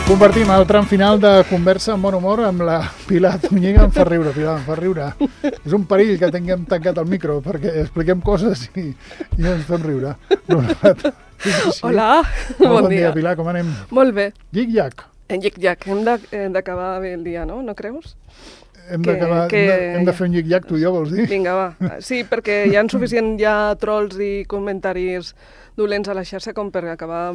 Compartim el tram final de conversa amb bon humor amb la Pilar Zúñiga. Em fa riure, Pilar, em fa riure. És un perill que tinguem tancat el micro perquè expliquem coses i ens fem riure. Hola, bon dia. Pilar, com anem? Molt bé. Llic-llac. En llic-llac. Hem d'acabar bé el dia, no creus? Hem de fer un llic-llac, tu i jo, vols dir? Vinga, va. Sí, perquè hi ha suficient trolls i comentaris dolents a la xarxa com per acabar...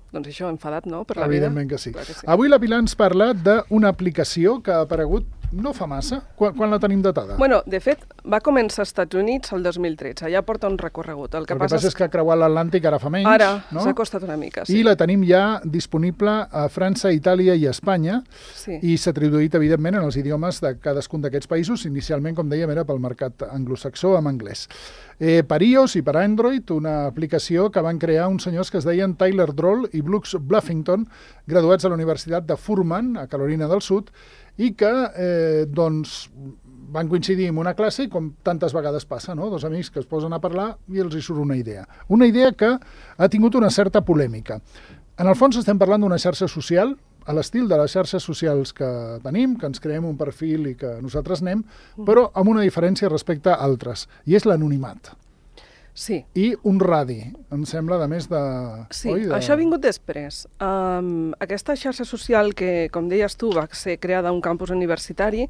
Doncs això, enfadat, no?, per la vida. Evidentment que sí. Avui la Pilar ens parla d'una aplicació que ha aparegut no fa massa. Quan la tenim datada? Bueno, de fet, va començar als Estats Units el 2013. Ja porta un recorregut. El que passa és que ha creuat l'Atlàntic ara fa menys. Ara, no? S'ha costat una mica, sí. I la tenim ja disponible a França, Itàlia i Espanya. Sí. I s'ha traduït, evidentment, en els idiomes de cadascun d'aquests països. Inicialment, com dèiem, era pel mercat anglosaxó amb anglès. Per iOS i per Android, una aplicació que van crear uns senyors que es deien Tyler Droll i Brooks Bluffington, graduats a la Universitat de Furman, a Carolina del Sud, i que van coincidir en una classe, com tantes vegades passa, no? Dos amics que es posen a parlar i els hi surt una idea. Una idea que ha tingut una certa polèmica. En el fons estem parlant d'una xarxa social, a l'estil de les xarxes socials que tenim, que ens creem un perfil i que nosaltres anem, però amb una diferència respecte a altres, i és l'anonimat. Sí. I un radi, em sembla, de més de... Sí, això ha vingut després. Aquesta xarxa social que, com deies tu, va ser creada a un campus universitari,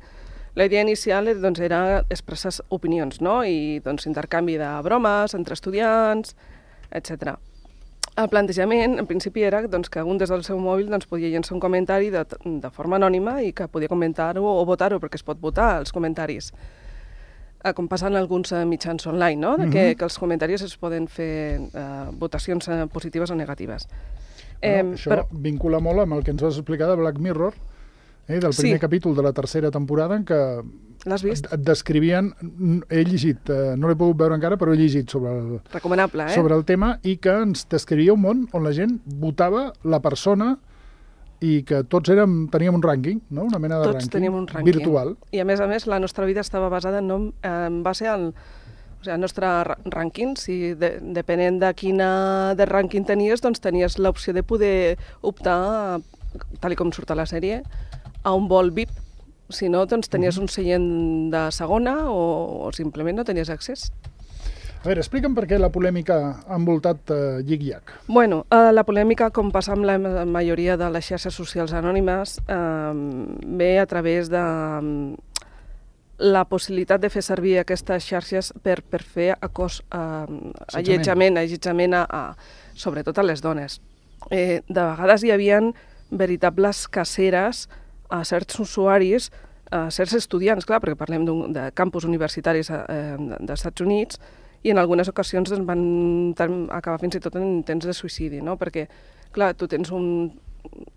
la idea inicial era expressar opinions, no? I intercanvi de bromes entre estudiants, etc. El plantejament, en principi, era que un des del seu mòbil podia llençar un comentari de forma anònima i que podia comentar-ho o votar-ho, perquè es pot votar els comentaris. Com passa en alguns mitjans online, no? Que els comentaris es poden fer votacions positives o negatives. Això vincula molt amb el que ens vas explicar de Black Mirror, del primer capítol de la tercera temporada, en què et descrivien, he llegit, no l'he pogut veure encara, però he llegit sobre el tema, i que ens descrivia un món on la gent votava la persona i que tots teníem un rànquing, no? Una mena de rànquing. Tots teníem un rànquing virtual. I a més, la nostra vida estava basada en base al nostre rànquing. Si depenent de quina de rànquing tenies, doncs tenies l'opció de poder optar, tal com surt a la sèrie, a un vol VIP. Si no, doncs tenies un seient de segona o simplement no tenies accés. A veure, explica'm per què la polèmica ha envoltat Llic-llac. Bueno, la polèmica, com passa amb la majoria de les xarxes socials anònimes, ve a través de la possibilitat de fer servir aquestes xarxes per fer allotjament, sobretot a les dones. De vegades hi havia veritables caceres a certs usuaris, a certs estudiants, clar, perquè parlem de campus universitaris dels Estats Units, i en algunes ocasions van acabar fins i tot en intents de suïcidi, no? Perquè, clar, tu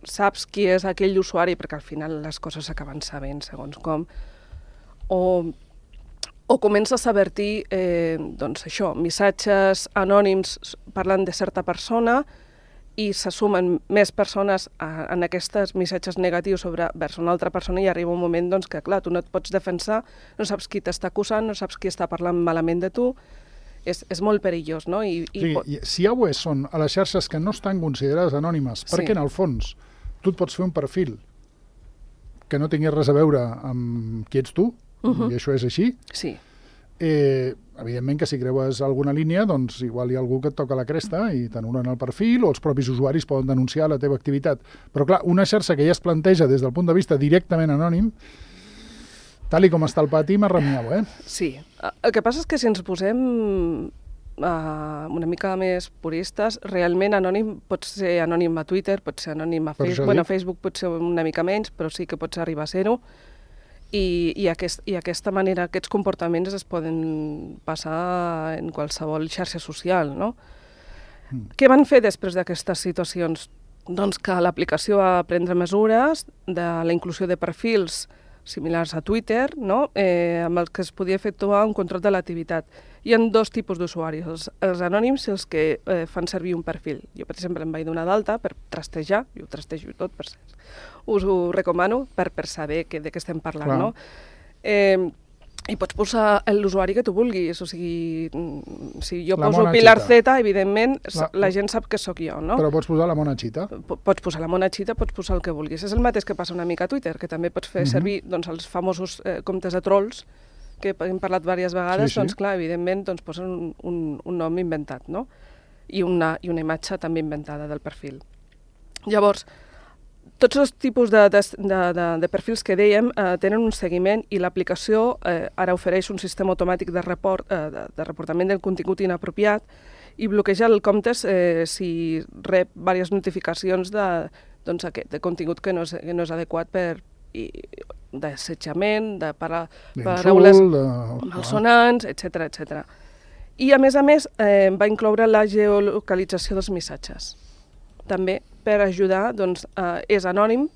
saps qui és aquell usuari, perquè al final les coses s'acaben sabent segons com, o comences a vertir, missatges anònims parlant de certa persona, i s'assumen més persones en aquests missatges negatius vers una altra persona, i arriba un moment que, clar, tu no et pots defensar, no saps qui t'està acusant, no saps qui està parlant malament de tu, és molt perillós, no? Si ja ho són a les xarxes que no estan considerades anònimes, perquè en el fons tu et pots fer un perfil que no tingués res a veure amb qui ets tu, i això és així, sí. Evidentment que si creues alguna línia, doncs igual hi ha algú que et toca la cresta i t'anulen el perfil, o els propis usuaris poden denunciar la teva activitat. Però clar, una xarxa que ja es planteja des del punt de vista directament anònim, tal com està el pati, m'arremiau, Sí. El que passa és que si ens posem una mica més puristes, realment anònim pot ser anònim a Twitter, pot ser anònim a Facebook. Bueno, a Facebook pot ser una mica menys, però sí que pots arribar a ser-ho. I aquesta manera, aquests comportaments es poden passar en qualsevol xarxa social, no? Què van fer després d'aquestes situacions? Doncs que l'aplicació va prendre mesures de la inclusió de perfils similars a Twitter, no? Amb els que es podia efectuar un control de l'activitat. Hi ha dos tipus d'usuaris, els anònims i els que fan servir un perfil. Jo, per exemple, em vaig donar d'alta per trastejar, jo ho trastejo tot, per cert. Us ho recomano per saber de què estem parlant, no? i pots posar l'usuari que tu vulguis, o sigui, si jo poso Pilar Z, evidentment, la gent sap que sóc jo, no? Però pots posar la Mona Chita. Pots posar la Mona Chita, pots posar el que vulguis. És el mateix que passa una mica a Twitter, que també pots fer servir els famosos comptes de trolls, que hem parlat diverses vegades, doncs clar, evidentment, posen un nom inventat, no? I una imatge també inventada del perfil. Llavors, tots els tipus de perfils que dèiem tenen un seguiment i l'aplicació ara ofereix un sistema automàtic de reportament del contingut inapropiat i bloqueja el compte si rep diverses notificacions de contingut que no és adequat d'assetjament, de paraules malsonants, etc. I a més va incloure la geolocalització dels missatges. També per ajudar, és anònim,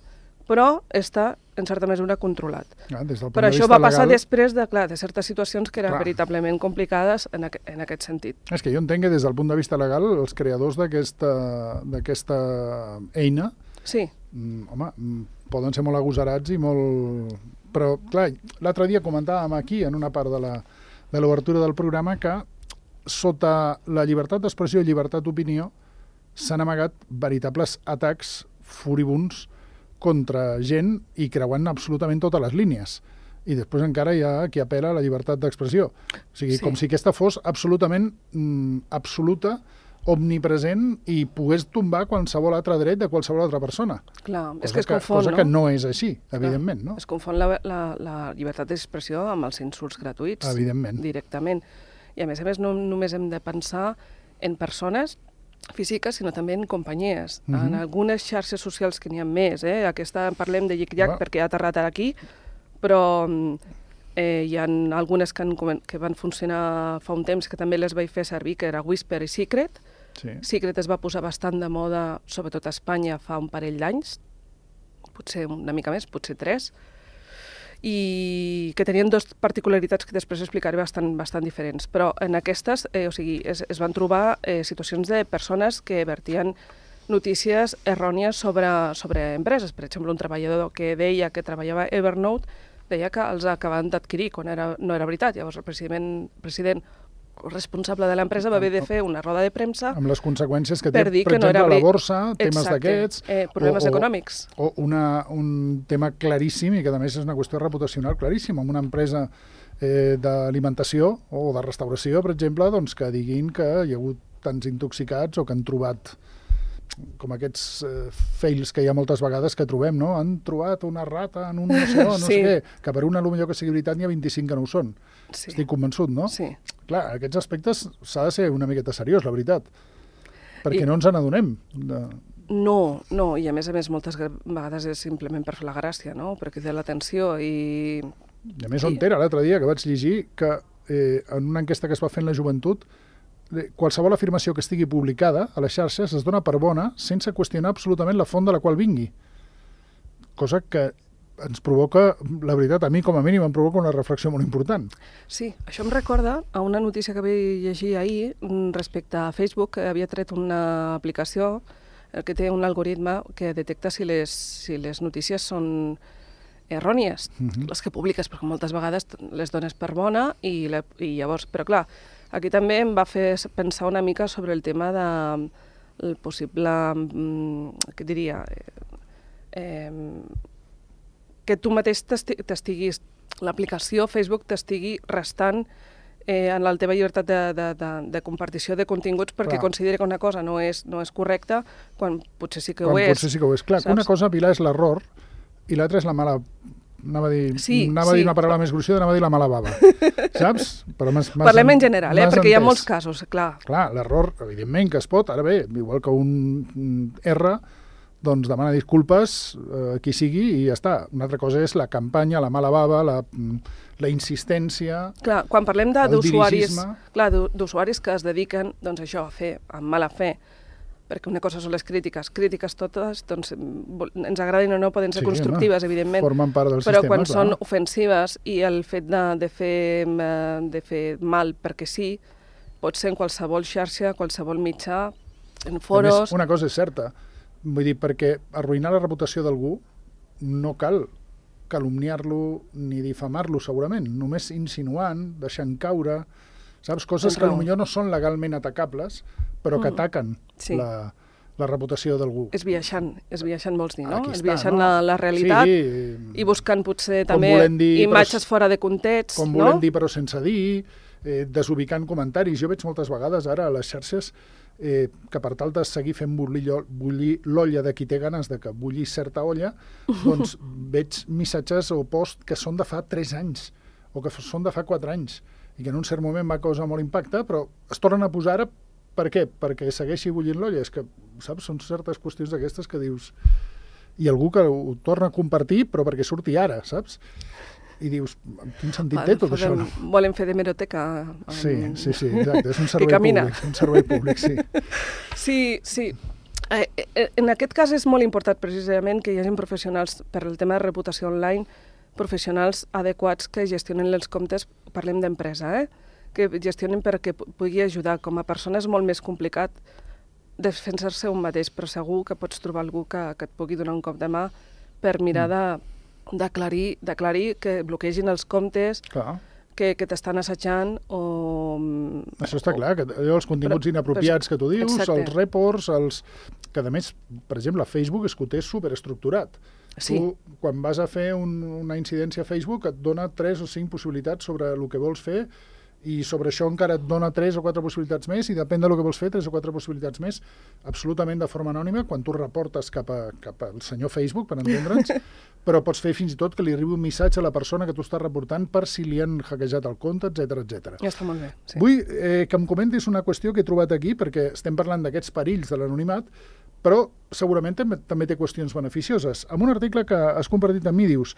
però està, en certa mesura, controlat. Però això va passar després de certes situacions que eren veritablement complicades en aquest sentit. És que jo entenc que des del punt de vista legal els creadors d'aquesta eina home, poden ser molt agosarats i molt... Però, clar, l'altre dia comentàvem aquí, en una part de l'obertura del programa, que sota la llibertat d'expressió i llibertat d'opinió s'han amagat veritables atacs furibuns contra gent i creuant absolutament totes les línies. I després encara hi ha qui apela a la llibertat d'expressió. O sigui, com si aquesta fos absolutament absoluta, omnipresent i pogués tombar qualsevol altre dret de qualsevol altra persona. Clar, és que es confon, cosa que no és així, evidentment, no? Es confon la llibertat d'expressió amb els insults gratuïts. Evidentment. Directament. I a més no només hem de pensar en persones físiques, sinó també en companyies. En algunes xarxes socials que n'hi ha més, aquesta parlem de Yik-Yak perquè ha aterrat aquí, però hi ha algunes que van funcionar fa un temps que també les vaig fer servir, que era Whisper i Secret. Secret es va posar bastant de moda, sobretot a Espanya, fa un parell d'anys, potser una mica més, potser 3, i que tenien dues particularitats que després explicaré bastant diferents. Però en aquestes es van trobar situacions de persones que vertien notícies errònies sobre empreses. Per exemple, un treballador que deia que treballava a Evernote deia que els acabaven d'adquirir quan no era veritat. Llavors el president el responsable de l'empresa va haver de fer una roda de premsa amb les conseqüències que té, per exemple, la borsa, temes d'aquests... problemes econòmics. O un tema claríssim, i que a més és una qüestió reputacional claríssima, amb una empresa d'alimentació o de restauració, per exemple, doncs que diguin que hi ha hagut tants intoxicats o que han trobat com aquests fails que hi ha moltes vegades que trobem, no? Han trobat una rata en un oceà, no sé què, que per una potser que sigui veritat n'hi ha 25 que no ho són. Estic convençut, no? Sí. Clar, en aquests aspectes s'ha de ser una miqueta seriós, la veritat, perquè no ens n'adonem. No, i a més moltes vegades és simplement per fer la gràcia, no? Per cridar l'atenció i... I a més, on era l'altre dia que vaig llegir que en una enquesta que es va fer en la joventut qualsevol afirmació que estigui publicada a les xarxes es dona per bona sense qüestionar absolutament la font de la qual vingui. Cosa que ens provoca, la veritat, a mi com a mínim em provoca una reflexió molt important. Sí, això em recorda a una notícia que vaig llegir ahir respecte a Facebook, que havia tret una aplicació que té un algoritme que detecta si les notícies són errònies, les que publiques, perquè moltes vegades les dones per bona i llavors, però clar, aquí també em va fer pensar una mica sobre el tema del possible, què diria, que tu mateix l'aplicació Facebook t'estigui restant en la teva llibertat de compartició de continguts perquè considera que una cosa no és correcta quan potser sí que ho és. Potser sí que ho és. Clar, una cosa, Pilar, és l'error i l'altra és la mala... Anava a dir una paraula més gruixuda, anava a dir la mala bava, saps? Parlem en general, perquè hi ha molts casos, clar. Clar, l'error, evidentment que es pot, ara bé, igual que un R, doncs demana disculpes a qui sigui i ja està. Una altra cosa és la campanya, la mala bava, la insistència, clar, quan parlem d'usuaris que es dediquen, doncs això, a fer amb mala fe, perquè una cosa són les crítiques totes, doncs ens agradin o no, poden ser constructives, evidentment, formen part del sistema, però quan són ofensives i el fet de fer mal perquè sí, pot ser en qualsevol xarxa, qualsevol mitjà, en foros... A més, una cosa és certa, vull dir, perquè arruïnar la reputació d'algú no cal calumniar-lo ni difamar-lo, segurament, només insinuant, deixant caure, saps? Coses que potser no són legalment atacables, però que ataquen la reputació d'algú. Esbiaixant vols dir, no? Esbiaixant la realitat i buscant potser també imatges fora de context, no? Com volem dir però sense dir, desubicant comentaris. Jo veig moltes vegades ara a les xarxes que per tal de seguir fent bullir l'olla de qui té ganes de que bulli certa olla, doncs veig missatges o posts que són de fa 3 anys o que són de fa 4 anys i que en un cert moment va causar molt impacte, però es tornen a posar ara. Per què? Perquè segueixi bullint l'olla. És que, saps, són certes qüestions d'aquestes que dius... I algú que ho torna a compartir, però perquè surti ara, saps? I dius, quin sentit té tot això? Volem fer d'hemeroteca. Sí, exacte, és un servei públic, sí. Sí. En aquest cas és molt important precisament que hi hagi professionals, per el tema de reputació online, professionals adequats que gestionen els comptes, parlem d'empresa, que gestionen perquè pugui ajudar. Com a persona és molt més complicat defensar-se un mateix, però segur que pots trobar algú que et pugui donar un cop de mà per mirar d'aclarir que bloquegin els comptes que t'estan assajant o... Això està clar, que els continguts inapropiats que tu dius, els reports, que a més, per exemple, Facebook és que ho té superestructurat. Sí. Tu, quan vas a fer una incidència a Facebook, et dona 3 o 5 possibilitats sobre el que vols fer i sobre això encara et dona 3 o 4 possibilitats més i depèn del que vols fer, 3 o 4 possibilitats més, absolutament de forma anònima, quan tu reportes cap al senyor Facebook, per entendre'ns, però pots fer fins i tot que li arribi un missatge a la persona que tu estàs reportant per si li han hackejat el compte, etc. Ja està molt bé. Sí. Vull que em comentis una qüestió que he trobat aquí, perquè estem parlant d'aquests perills de l'anonimat, però segurament també té qüestions beneficioses. En un article que has compartit amb mi dius: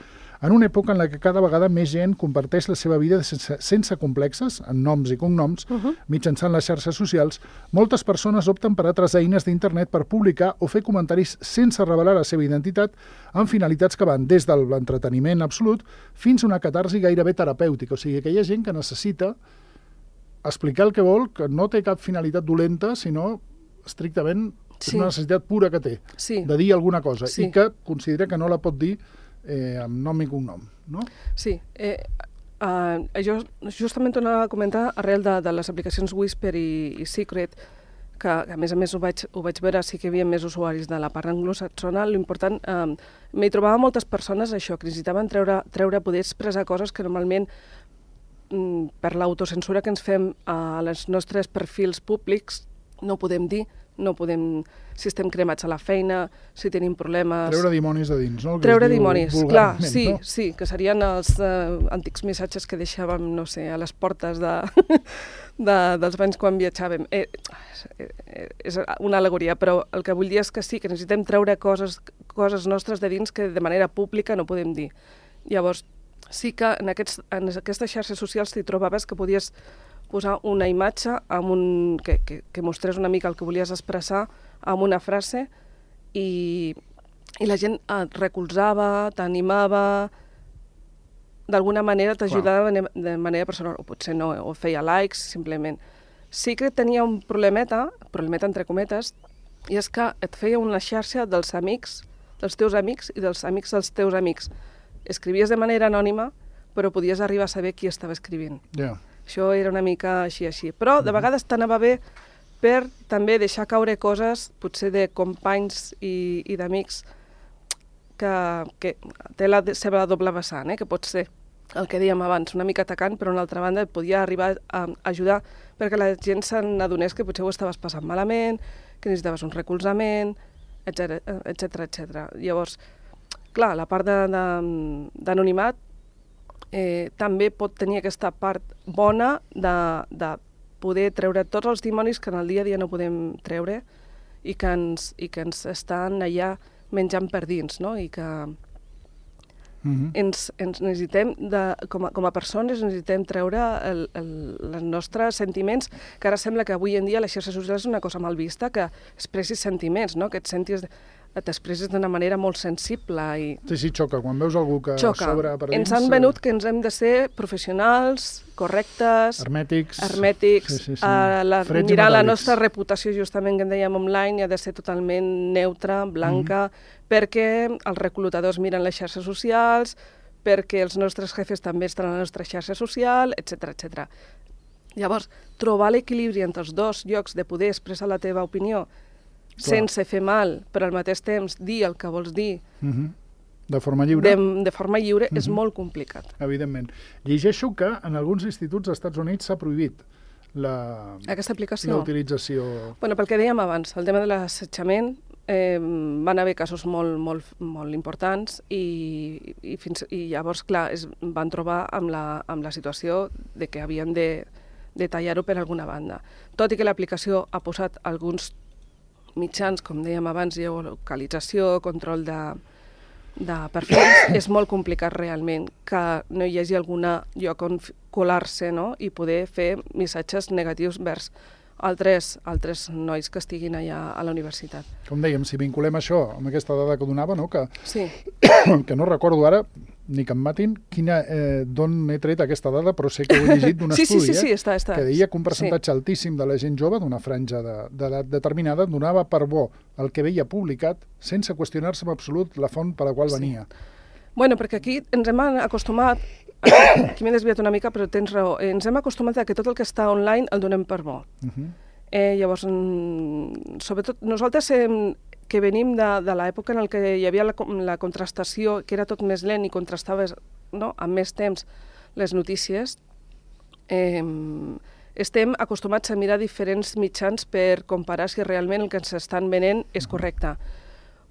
en una època en la que cada vegada més gent comparteix la seva vida sense complexes, en noms i cognoms, mitjançant les xarxes socials, moltes persones opten per altres eines d'internet per publicar o fer comentaris sense revelar la seva identitat amb finalitats que van des de l'entreteniment absolut fins a una catarsi gairebé terapèutica. O sigui, que hi ha gent que necessita explicar el que vol, que no té cap finalitat dolenta, sinó estrictament és una necessitat pura que té, de dir alguna cosa, i que considera que no la pot dir amb nom i cognom, no? Sí. Jo justament tornava a comentar arrel de les aplicacions Whisper i Secret, que a més ho vaig veure, sí que hi havia més usuaris de la part anglosaxona. L'important, m'hi trobava moltes persones això, que necessitaven poder expressar coses que normalment per l'autocensura que ens fem a els nostres perfils públics no podem dir, si estem cremats a la feina, si tenim problemes... Treure dimonis de dins, no? Treure dimonis, clar, sí, que serien els antics missatges que deixàvem, no sé, a les portes dels banys quan viatjàvem. És una al·legoria, però el que vull dir és que sí, que necessitem treure coses nostres de dins que de manera pública no podem dir. Llavors, sí que en aquestes xarxes socials t'hi trobaves que podies posar una imatge que mostrés una mica el que volies expressar amb una frase i la gent et recolzava, t'animava, d'alguna manera t'ajudava de manera personal, o potser no, o feia likes, simplement. Sí que tenia un problemeta entre cometes, i és que et feia una xarxa dels amics, dels teus amics i dels amics dels teus amics. Escrivies de manera anònima, però podies arribar a saber qui estava escrivint. Això era una mica així. Però de vegades t'anava bé per també deixar caure coses, potser de companys i d'amics, que té la seva doble vessant, que pot ser el que dèiem abans, una mica atacant, però d'una altra banda et podia arribar a ajudar perquè la gent se n'adonés que potser ho estaves passant malament, que necessitaves un recolzament, etc. Llavors, clar, la part d'anonimat també pot tenir aquesta part bona de poder treure tots els dimonis que en el dia a dia no podem treure i que ens estan allà menjant per dins, no? I que ens necessitem, com a persones, necessitem treure els nostres sentiments, que ara sembla que avui en dia les xarxes socials és una cosa mal vista, que expressis sentiments, no? Que t'expresses d'una manera molt sensible. Sí, xoca. Quan veus algú que s'obre per dins... Ens han venut que ens hem de ser professionals, correctes... Hermètics. Mirar la nostra reputació, justament, que en dèiem online, ha de ser totalment neutra, blanca, perquè els reclutadors miren les xarxes socials, perquè els nostres jefes també estan a la nostra xarxa social, etc etc. Llavors, trobar l'equilibri entre els dos llocs de poder expressar la teva opinió sense fer mal, però al mateix temps dir el que vols dir de forma lliure, de forma lliure és molt complicat. Evidentment. Llegeixo que en alguns instituts dels Estats Units s'ha prohibit aquesta aplicació. L'utilització. Bueno, pel que dèiem abans, el tema de l'assetjament, van haver casos molt importants i llavors, clar, van trobar amb la situació de que havien de tallar-ho per alguna banda. Tot i que l'aplicació ha posat alguns mitjans, com dèiem abans, geolocalització, control de perfils, és molt complicat realment que no hi hagi algun lloc on colar-se, no?, i poder fer missatges negatius vers altres nois que estiguin allà a la universitat. Com dèiem, si vinculem això amb aquesta dada que donava, no?, que no recordo ara, ni que em matin, d'on he tret aquesta dada, però sé que ho he llegit d'un estudi, que deia que un percentatge altíssim de la gent jove, d'una franja d'edat determinada, donava per bo el que veia publicat sense qüestionar-se en absolut la font per la qual venia. Bueno, perquè aquí ens hem acostumat, aquí m'he desviat una mica, però tens raó, ens hem acostumat a que tot el que està online el donem per bo. Llavors, sobretot, nosaltres que venim de l'època en què hi havia la contrastació, que era tot més lent i contrastaves amb més temps les notícies, estem acostumats a mirar diferents mitjans per comparar si realment el que ens estan venent és correcte.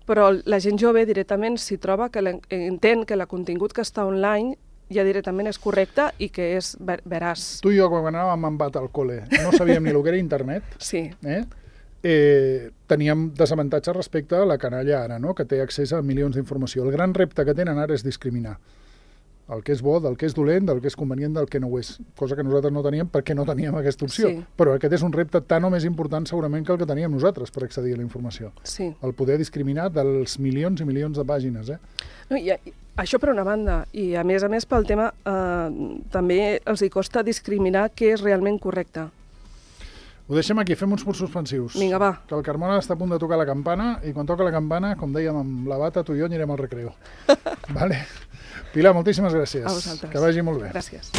Però la gent jove directament s'hi troba que entén que el contingut que està online ja directament és correcte i que és veraç. Tu i jo, quan anàvem amb bat al col·le, no sabíem ni el que era internet. Sí. Teníem desavantatge respecte a la canalla ara, que té accés a milions d'informació. El gran repte que tenen ara és discriminar el que és bo, del que és dolent, del que és convenient, del que no ho és. Cosa que nosaltres no teníem perquè no teníem aquesta opció. Sí. Però aquest és un repte tan o més important segurament que el que teníem nosaltres per accedir a la informació. Sí. El poder discriminar dels milions i milions de pàgines. No, això per una banda. I a més pel tema també els hi costa discriminar què és realment correcte. Ho deixem aquí, fem uns punts suspensius. Vinga, va. Que el Carmona està a punt de tocar la campana i quan toca la campana, com dèiem amb la bata, tu i jo anirem al recreo. Vale? Pilar, moltíssimes gràcies. A vosaltres. Que vagi molt bé. Gràcies.